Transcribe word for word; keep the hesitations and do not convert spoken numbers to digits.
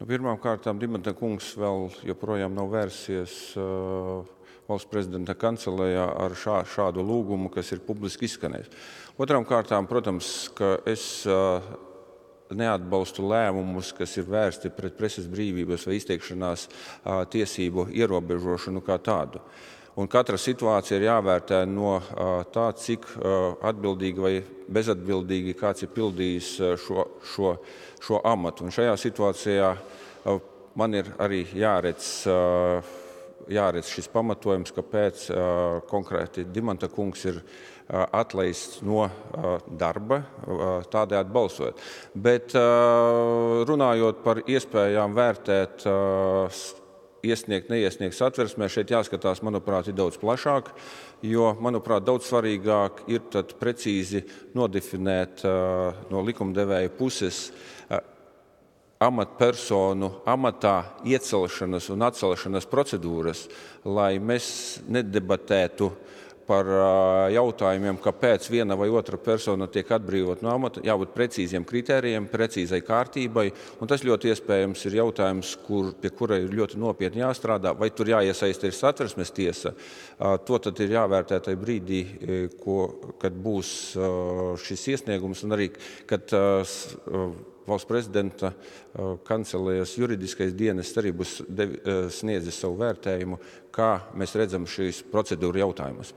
Nu, pirmām kārtām Dimanta kungs vēl joprojām nav vērsies uh, valsts prezidenta kancelējā ar šā, šādu lūgumu, kas ir publiski izskanējis. Otrām kārtām, protams, ka es uh, neatbalstu lēmumus, kas ir vērsti pret preses brīvības vai izteikšanās uh, tiesību ierobežošanu kā tādu. Un katra situācija ir jāvērtē no uh, tā, cik uh, atbildīgi vai bezatbildīgi kāds ir pildījis uh, šo, šo, šo amatu. Un šajā situācijā uh, man ir arī jāredz, uh, jāredz šis pamatojums, kāpēc uh, konkrēti Dimanta kungs ir uh, atlaists no uh, darba, uh, tādējādi balsojot. Bet uh, runājot par iespējām vērtēt uh, iesniegt, neiesniegt satversmē, šeit jāskatās, manuprāt, ir daudz plašāk, jo, manuprāt, daudz svarīgāk ir tad precīzi nodefinēt uh, no likumdevēja puses uh, amatpersonu amatā iecelšanas un atcelšanas procedūras, lai mēs nedebatētu par jautājumiem, kāpēc viena vai otra persona tiek atbrīvot no amata, jābūt precīziem kritērijiem, precīzai kārtībai, un tas ļoti iespējams ir jautājums, kur, pie kura ir ļoti nopietni jāstrādā, vai tur jāiesaista ir satversmes tiesa. To tad ir jāvērtē tajā brīdī, ko, kad būs šis iesniegums, un arī, kad valsts prezidenta kancelējas juridiskais dienests arī būs sniedzis savu vērtējumu, kā mēs redzam šīs procedūru jautājumus.